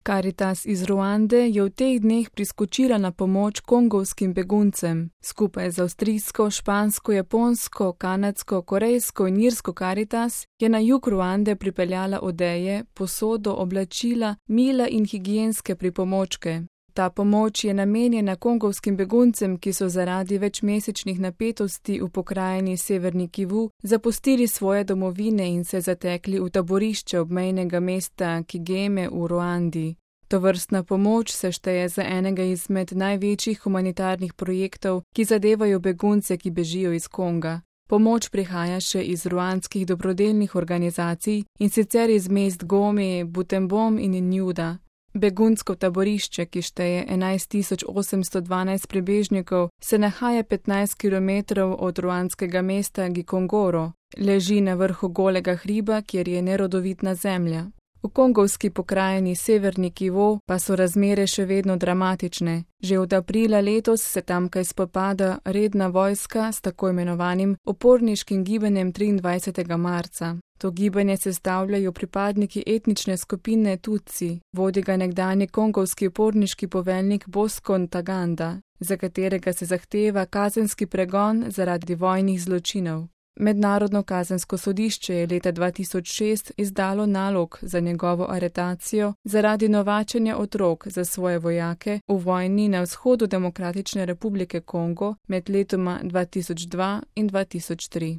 Karitas iz Ruande je v teh dneh priskočila na pomoč kongovskim beguncem. Skupaj z avstrijsko, špansko, japonsko, kanadsko, korejsko in irsko Karitas je na jug Ruande pripeljala odeje, posodo, oblačila, mila in higienske pripomočke. Ta pomoč je namenjena kongovskim beguncem, ki so zaradi večmesečnih napetosti v pokrajini Severni Kivu zapustili svoje domovine in se zatekli v taborišče obmejnega mesta Kigeme v Ruandi. Tovrstna pomoč se šteje za enega izmed največjih humanitarnih projektov, ki zadevajo begunce, ki bežijo iz Konga. Pomoč prihaja še iz ruandskih dobrodelnih organizacij, in sicer iz mest Gome, Butembo in Njuda. Begunsko taborišče, ki šteje 11.812 prebežnikov, se nahaja 15 km od ruandskega mesta Gikongoro. Leži na vrhu golega hriba, kjer je nerodovitna zemlja. V kongovski pokrajini Severni Kivu pa so razmere še vedno dramatične. Že od aprila letos se tamkaj spopada redna vojska s tako imenovanim uporniškim gibanjem 23. marca. To gibanje sestavljajo pripadniki etnične skupine Tutsi, vodi ga nekdanji kongovski uporniški poveljnik Bosco Ntaganda, za katerega se zahteva kazenski pregon zaradi vojnih zločinov. Mednarodno kazensko sodišče je leta 2006 izdalo nalog za njegovo aretacijo zaradi novačenja otrok za svoje vojake v vojni na vzhodu Demokratične republike Kongo med letoma 2002 in 2003.